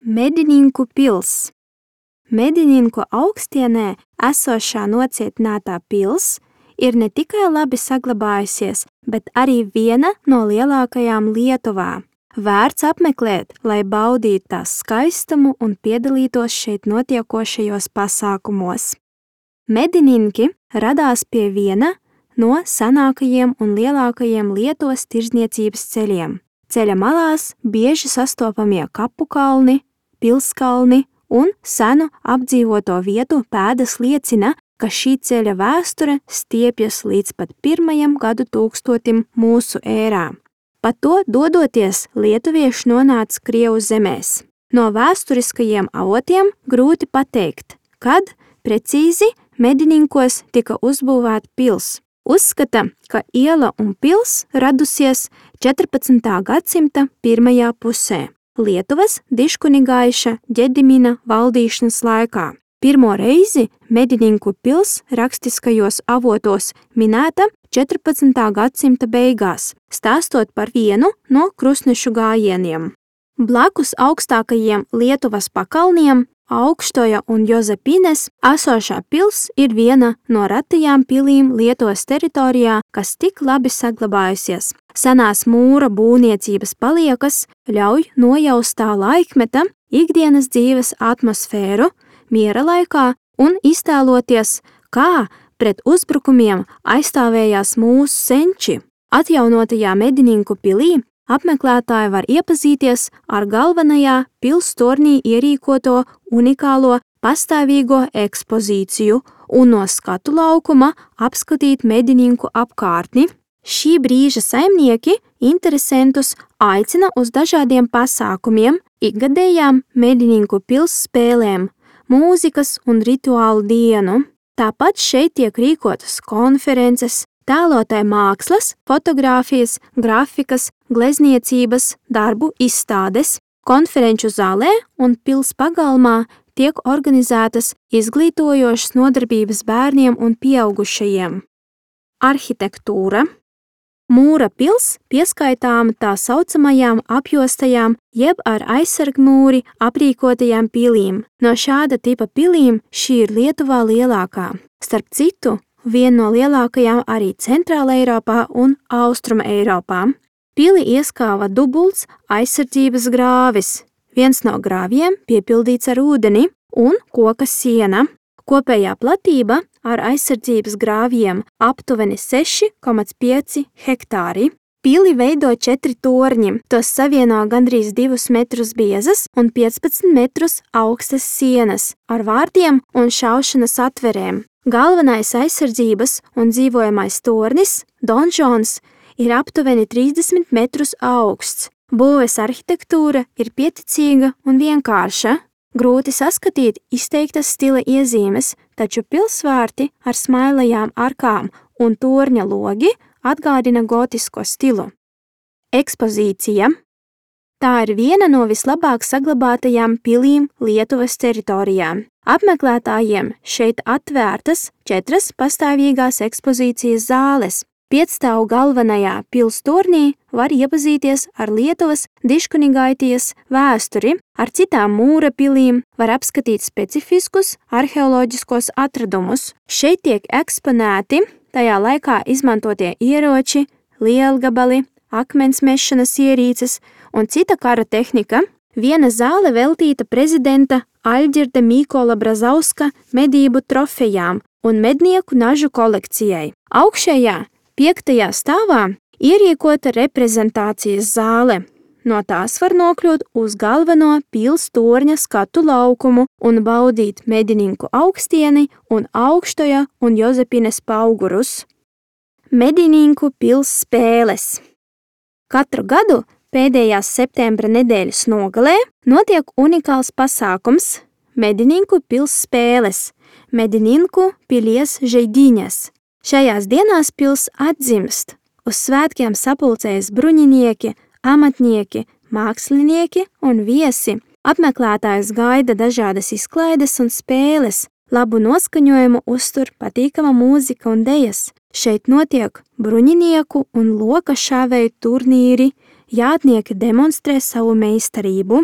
Medininku pils. Medininku augstienē esošā nocietinātā pils ir ne tikai labi saglabājusies, bet arī viena no lielākajām Lietuvā. Vērts apmeklēt, lai baudītu tās skaistumu un piedalītos šeit notiekošajos pasākumos. Medininki radās pie viena no senākajiem un lielākajiem Lietuvas tirdzniecības ceļiem. Ceļa malās bieži sastopamie kapu kalni, pilskalni un senu apdzīvoto vietu pēdas liecina, ka šī ceļa vēsture stiepjas līdz pat 1. gadu tūkstotim mūsu ērā. Pa to dodoties lietuvieši nonāca Krievu zemēs. No vēsturiskajiem avotiem grūti pateikt, kad precīzi Medininkos tika uzbūvēta pils. Uzskata, ka iela un pils radusies 14. gadsimta pirmajā pusē, Lietuvas diškunigaiša Ģedimina valdīšanas laikā. Pirmo reizi Medininku pils rakstiskajos avotos minēta 14. gadsimta beigās, stāstot par vienu no krustnešu gājieniem. Blakus augstākajiem Lietuvas pakalniem, Augštoja un Jozepines, esošā pils ir viena no ratajām pilīm Lietuvas teritorijā, kas tik labi saglabājusies. Senās mūra būvniecības paliekas ļauj nojaust tā laikmeta ikdienas dzīves atmosfēru miera laikā un iztēloties, kā pret uzbrukumiem aizstāvējās mūsu senči. Atjaunotajā Medininku pilī apmeklētāji var iepazīties ar galvenajā pils tornī ierīkoto unikālo pastāvīgo ekspozīciju un no skatu laukuma apskatīt Medininku apkārtni. Šī brīža saimnieki interesentus aicina uz dažādiem pasākumiem, ikgadējām Medininku pils spēlēm, mūzikas un rituālu dienu. Tāpat šeit tiek rīkotas konferences, tēlotāju mākslas, fotogrāfijas, grafikas, glezniecības, darbu izstādes. Konferenču zālē un pils pagalmā tiek organizētas izglītojošas nodarbības bērniem un pieaugušajiem. Arhitektūra. Mūra pils pieskaitāma tā saucamajām apjostajām jeb ar aizsargmūri aprīkotajām pilīm. No šāda tipa pilīm šī ir Lietuvā lielākā. Starp citu, viena no lielākajām arī Centrāla Eiropā un Austruma Eiropā. Pili ieskāva dubults aizsardzības grāvis. Viens no grāvjiem piepildīts ar ūdeni un koka siena. Kopējā platība ar aizsardzības grāvjiem aptuveni 6,5 hektāri. Pili veido 4 torņi, tos savieno gandrīz 2 metrus biezas un 15 metrus augstas sienas ar vārtiem un šaušanas atverēm. Galvenais aizsardzības un dzīvojamais tornis, donžons, ir aptuveni 30 metrus augsts. Būves arhitektūra ir pieticīga un vienkārša. Grūti saskatīt izteiktas stila iezīmes, taču pilsvārti ar smailajām arkām un torņa logi atgādina gotisko stilu. Ekspozīcija. Tā ir viena no vislabāk saglabātajām pilīm Lietuvas teritorijā. Apmeklētājiem šeit atvērtas 4 pastāvīgās ekspozīcijas zāles. Piecstāvu galvenajā pils tornī var iepazīties ar Lietuvas diškunigaitijas vēsturi, ar citām mūra pilīm, var apskatīt specifiskus arheoloģiskos atradumus. Šeit tiek eksponēti tajā laikā izmantotie ieroči, lielgabali, akmens mešanas ierīces un cita kara tehnika. Viena zāle veltīta prezidenta Aļģirda Mīkola Brazauska medību trofejām un mednieku nažu kolekcijai. Augšējā 5. stāvā ierīkota reprezentācijas zāle. No tās var nokļūt uz galveno pils torņa skatu laukumu un baudīt Medininku augstieni un Augštoja un Jozepines paugurus. Medininku pils spēles. Katru gadu pēdējās septembra nedēļas nogalē notiek unikāls pasākums Medininku pils spēles, Medininku pilies žaidiņas. Šajās dienās pils atzimst. Uz svētkiem sapulcējas bruņinieki, amatnieki, mākslinieki un viesi. Apmeklētājus gaida dažādas izklaides un spēles. Labu noskaņojumu uztur patīkama mūzika un dejas. Šeit notiek bruņinieku un loka šāvēju turnīri, jātnieki demonstrē savu meistarību.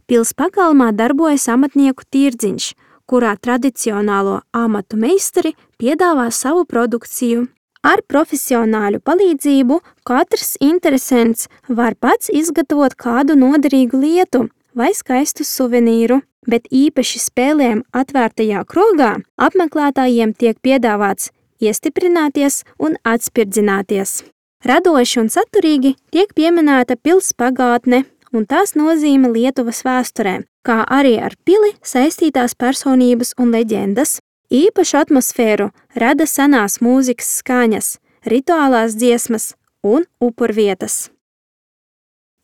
Pils pagalmā darbojas amatnieku tirdziņš, kurā tradicionālo amatu meistari piedāvā savu produkciju. Ar profesionāļu palīdzību katrs interesents var pats izgatavot kādu noderīgu lietu vai skaistu suvenīru, bet īpaši spēlēm atvērtajā krogā apmeklētājiem tiek piedāvāts iestiprināties un atspirdzināties. Radoši un saturīgi tiek pieminēta pils pagātne un tās nozīme Lietuvas vēsturē, kā arī ar pili saistītās personības un leģendas. Īpašu atmosfēru rada senās mūzikas skaņas, rituālās dziesmas un upurvietas.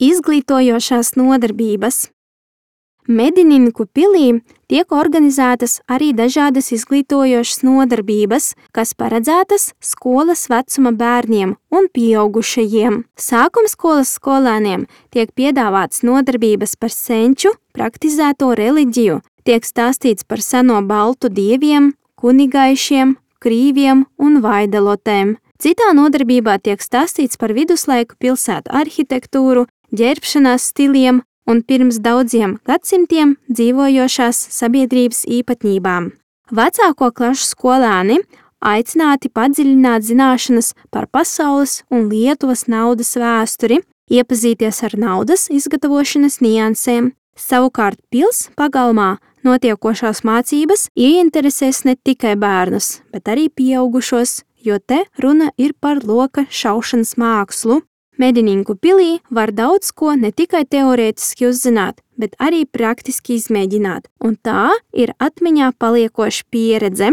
Izglītojošās nodarbības. Medininku pilī tiek organizētas arī dažādas izglītojošas nodarbības, kas paredzētas skolas vecuma bērniem un pieaugušajiem. Sākumskolas skolēniem tiek piedāvāts nodarbības par senču praktizēto reliģiju, tiek stāstīts par seno baltu dieviem, kunigaišiem, krīviem un vaidelotēm. Citā nodarbībā tiek stāstīts par viduslaiku pilsētu arhitektūru, ģērbšanās stiliem un pirms daudziem gadsimtiem dzīvojošās sabiedrības īpatnībām. Vecāko klašu skolēni aicināti padziļināt zināšanas par pasaules un Lietuvas naudas vēsturi, iepazīties ar naudas izgatavošanas niansēm. Savukārt pils pagalmā notiekošās mācības ieinteresēs ne tikai bērnus, bet arī pieaugušos, jo te runa ir par loka šaušanas mākslu. Medininku pilī var daudz ko ne tikai teorētiski uzzināt, bet arī praktiski izmēģināt, un tā ir atmiņā paliekoša pieredze.